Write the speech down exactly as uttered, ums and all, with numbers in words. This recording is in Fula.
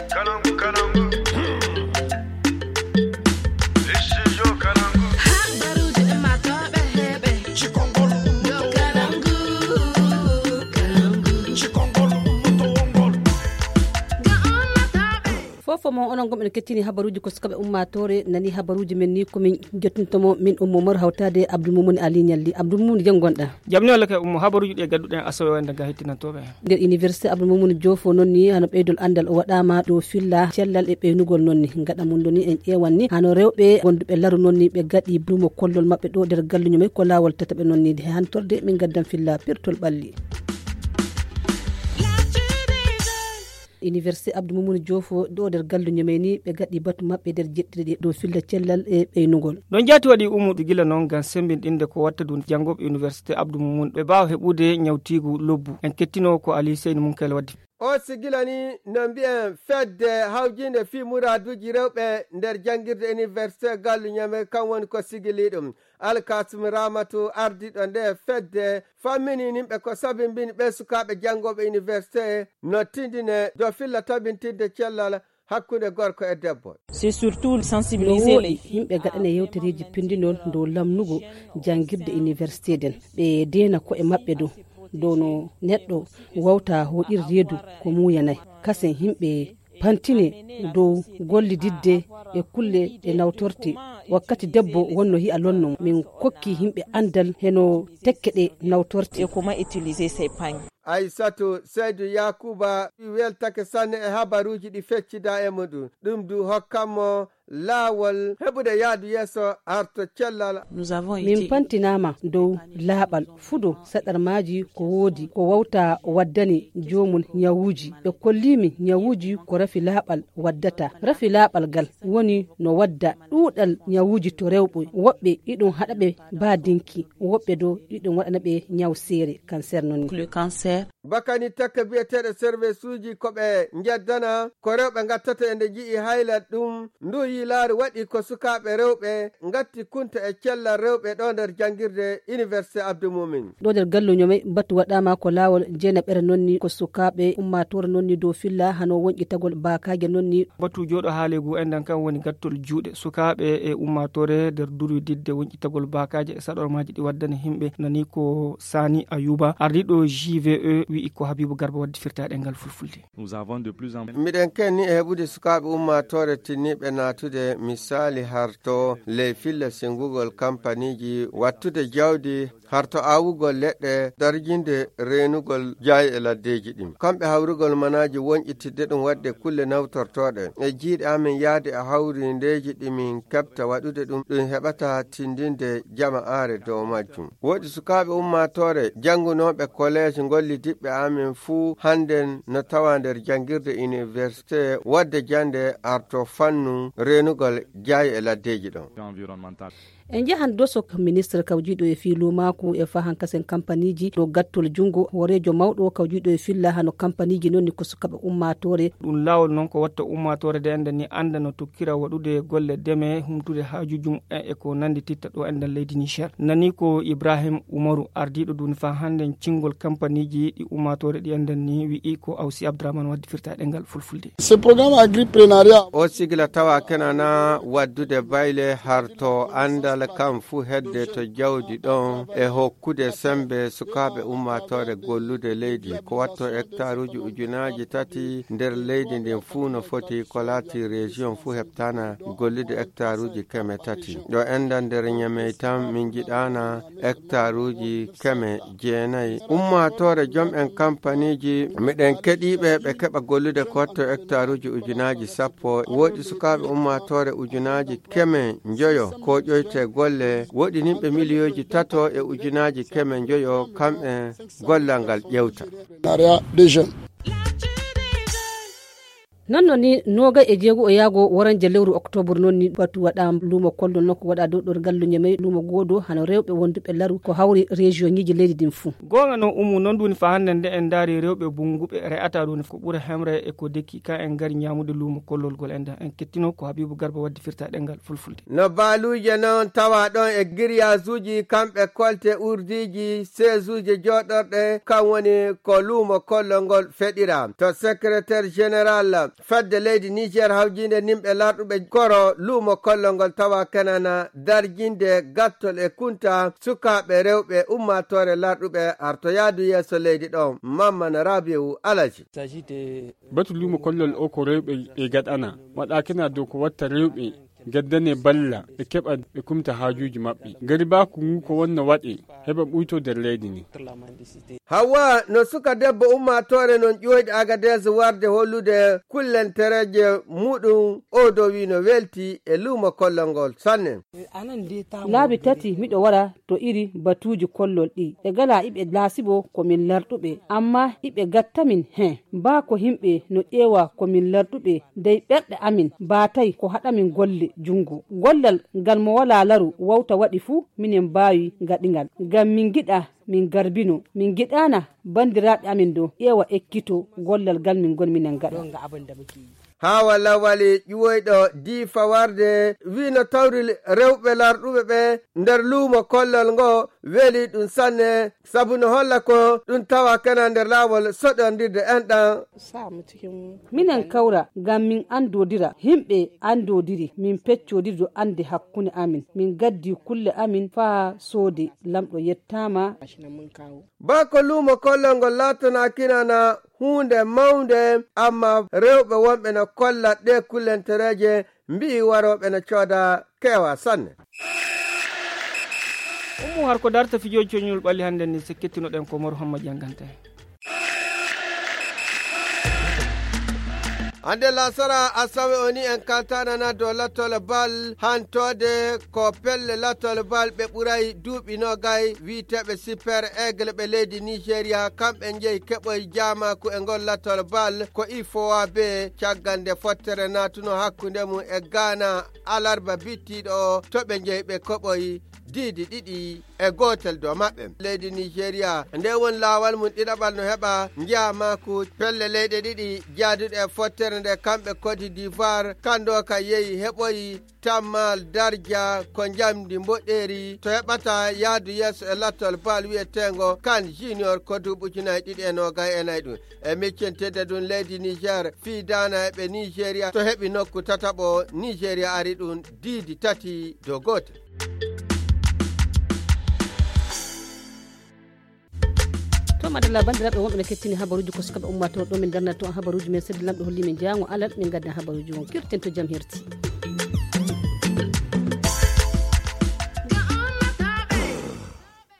Habaruuji ummaatooɓe heɓe. Cikongol ummaatooɓe. Cikongol ummaatooɓe. Fofo mo onon gom en kettini habaruuji ko sukaɓe ummaatoore nani habaruuji men ni komin jettintomo min ummo mor hawtade abdou mumuni ali ñalli abdou mumuni jam gonɗa. Jam ni walla kay ummo habaruuji ɗi e gadduɗen asawe wayde ga hettinantooɓe. Nder université abdou mumuni jofo noon ni hano ɓeydol anndal o waɗama dow filla cellal e ɓeynugol noon ni gaɗa mum ɗo ni en ƴeewan ni hano rewɓe gonduɓe laru noon ni ɓe gaɗi duumo kollol maɓɓe ɗo nder galluño men ko laawol tataɓe noon ni he hantorde min gaddan filla pirtol ɓalli. Université abdou mumuni jofo ɗo nder galluño men ni ɓe gaɗi batu maɓɓe nder jeɗɗiɗe ɗe dow filla cellal e ɓeynugol. Ɗon jaati waɗi ummuɗo gila noon ngam semmbinɗinde ko watta ɗum janngooɓe université abdou mumuni ɓe mbaawa heɓude ñawtiigu lobbu en kettino ko ali seyni mum kayla waddi. O sigila ni no mbiyen fedde hawjinde fii muraaduuji rewɓe nder janngirde université gallu ñame kan woni ko sigili ɗum. Alkasum ramatu ardiiɗo nde fedde fammini nimɓe ko sabimbini ɓe sukaaɓe janngooɓe université no tindine dow filla tabintinde cellal hakkunde gorko e debbo. C'est surtout sensibiliser les yimɓe gaɗane yewtereeji pindinol dow lamnugo janngirde université den ɓe deena ko'e maɓɓe dow dow no neɗɗo wawta hoɗir reedu ko muuyanay kasen yimɓe pantine dow gollididde e kulle ɗe nawtorte. Wakkati debbo wonno yi'a lonno min kokki yimɓe anndal heno tekke ɗe nawtorte. E comment utiliser ces pagnes. Aysatu seydu yakuba weltake sanne e habaruuji ɗi feccida e muɗum ɗum du hokkanmo laawol heɓude yaadu yeeso arto cellal. Min pantinaama dow laaɓal fudo saɗarmaaji ko woodi ko wawta waddani joomum ñawuuji ɓe kolliimi ñawuuji ko rafi laaɓal waddata rafi laaɓal gal woni no wadda ɗuuɗal ñawuuji to rewɓe woɓɓe iɗum haɗa ɓe baadinki woɓɓe do iɗum waɗana ɓe ñaw seere cancer noon ni. Bakani takka biyeteeɗo service uji ko ɓe njeddana ko rewɓe ngattata e nde nji'i hayla ɗum ndu yiilaaru waɗi ko sukaaɓe rewɓe ngatti kunta e cellal rewɓe ɗo nder janngirde université abdou mumin. Ɗo nder galluño men batu waɗaama ko laawol jeenaɓere noon ni ko sukaaɓe ummaatoore noon ni dow filla hano wonƴitagol baakaaje noon ni. Batu jooɗo haaleegu enɗan kan woni gattol juuɗe sukaaɓe e ummaatoore nder durwididde wonƴitagol baakaaje e saɗormaaji ɗi waddani yimɓe nani ko sani ayuba ardiiɗo jve wi'i ko habibu garba waddi firtaaɗe ngal fulfulde. Miɗen kenni e heɓude sukaaɓe ummaatoore tinniiɓe naatude misaali harto ley filla singugol kampaniiji wattude jawdi harto aawugol leɗɗe darjinde reenugol jaayi e laddeeji ɗin kamɓe hawrugol manaaji wonƴitidde ɗum waɗde kulle nawtortooɗe e jiiɗe amen yahde e hawrindeeji ɗi min keɓta waɗude ɗum ɗum heɓata tindinde jama aare dow majjum. Woodi sukaaɓe ummaatoore janngunooɓe koleeji ngollidiɓɓe amen fuu hannden no tawa nder janngirde iniwersite waɗde jannde arto fannu reenugol jaayi e laddeeji ɗon. En njahan doso ministre kawjiiɗo e fii luumaaku e fahan kasen kampaniiji ɗo gattol junngo hooreejo mawɗo kawjiiɗo e filla hano kampaniiji noon ni ko sukaaɓe ummaatoore. Ɗum laawol noon ko watta ummaatoore de enden ni annda no tokkira waɗude golle deme humtude haajuuji mumen e ko nanndi titta ɗo enden leydi niger nani ko ibrahim umaru ardiiɗo duuni faa hannden cinngol kampaniiji ɗi ummaatoore ɗi enden ni wi'i ko awsi abdourahmane waddi firtaaɗe ngal fulfulde. Ce programme agriprenariat o sigla tawa kenana waddude bayle harto anndal kam fuu hedde to jawdi ɗon e hokkude sembe sukaaɓe ummaatoore gollude leydi ko watto hectaruuji ujunaaji tati nder leydi ndin fuu no foti ko laati région fuu heɓtana gollude hectaruuji keme tati ɗo enda nder ñamey tan min jiɗana hectaruuji keme jeenayi ummaatoore jom en kampaniiji miɗen keɗiiɓe ɓe keɓa gollude ko watto hectaruuji ujunaaji sappo woɗi sukaaɓe ummaatoore ujunaaji keme njoyo ko ƴoyte golle woɗi nimɓe miliyooji tato e ujunaaji keme njoyo kamɓe gollal ngal ƴewta. Noon noon ni noogay e jeego o yaago woranje lewru octobre noon ni batu waɗa luumo kollo nokku waɗa dow ɗo ngallu ñamey luumo goodo hano rewɓe wonduɓe laru ko hawri région ñiji leydi din fuu. Goonga noon ummu noon duuni fa hannde nde en ndaari rewɓe bunnguɓe re'ata duuni ko ɓura hemre e ko dekki ka en ngari ñaamude luumo kollol gol enda en kettino ko habibu garba waddi firta ɗengal fulfulde. No baaluuje noon tawa ɗon e giriyasuuji kamɓe kolte urdiiji seesuuje jooɗorɗe kam woni ko luumo kollol ngol feɗira to secrétaire général Fedde leydi Niger hawjinde nimɓe larɗuɓe koro luumo kollol ngol tawa kenana darjinde gattol e kunta sukaaɓe rewɓe ummaatoore larɗuɓe arto yaadu yeeso leydi ɗo. Mammana Rabiu Alaji. Batu luumo kollol o ko rewɓe e gaɗana, waɗa kena dow ko watta rewɓe gaddane balla ɓe keɓa ɓe kumta haajuuji maɓɓe. Garibaaku ngu ko wonno waɗe heɓa ɓuyto nder leydi ndi. Hawa no suka debbo ummaatoore non ƴooyɗo Agadez warde hollude kullentereeje muɗum, o do wi no welti e luumo kollol ngol sanne. Laabi tati miɗo wara to iri batuuji kollol ɗi. Ɓe gala iɓe laasibo ko min larɗuɓe, amma iɓe gattamin he. Baa ko himɓe no ƴeewa ko min larɗuɓe, dey ɓerɗe amin baatay ko haɗamin golle junngo. Gollal ngal mo walaa laru wawta waɗi fuu, minen mbaawi gaɗingal. Ngam min ngiɗa min garbino, min ngiɗaana banndiraaɓe amin ɗo ƴeewa ekkito gollal ngal min ngon minen ngaɗa. Haa walla wali ƴuwoyɗo diifa warde wino tawri rewɓe larɗuɓe ɓe nder luumo kollol ngo weli ɗum sanne, sabu no holla ko ɗum tawa kena nder laawol soɗondirde enɗan. Minen kawra ngam min anndodira, yimɓe anndodiri, min peccodirdo annde hakkunde amin, min gaddi kulle amin faa soode. Lamɗo yettaama. Bako luumo kollol ngol laatanakinana huunde mawnde, amma rewɓe wonɓe no kolla ɗe kullentereeje mbi'i warooɓe no cooda keewa sanne. Ummu har ko darta fijooji coñol ɓalli hannde ni, sekkitinoɗen ko Mor Hamma Jangante. Hannde lasara asawe o ni en kaltanana dow lattol bal hantode ko pelle lattol bal ɓe ɓuray duuɓi nogay wiiteɓe super aigle ɓe leydi nigeria, kamɓe njeyi keɓoy jamaku e ngol lattol bal ko ifowa be caggal nde fottere natuno hakkunde mum e ghana alarba bittiɗo o to ɓe njeyi ɓe koɓoyi diidi ɗiɗi e gootel dow maɓɓe. Leydi nigeria nde woni laawal mum ɗiɗaɓal no heɓa njeya maaku pelle leyɗe ɗiɗi jaaduɗe e fottere nde kamɓe cote d'ivoire kanndo ka yehi heɓoyi tammal darja ko njamndi mboɗeeri to heɓata yahdu yeeso e lattol bal wiyeteengo kan junior ko duuɓi ujunaaji ɗiɗi e noogay e nayi ɗum. E miccintede ɗum leydi niger fii daana e ɓe nigeria to heɓi nokku tataɓo nigeria ari ɗum diidi tati dow gootel. To madalla banndiraaɓe wonɓe no kettini habaruuji ko sukaɓe ummatoo ɗo min darnata to habaruuji men seddi lamɗo holli min jaango alal min gadda habaruuji won kirten to jam herti.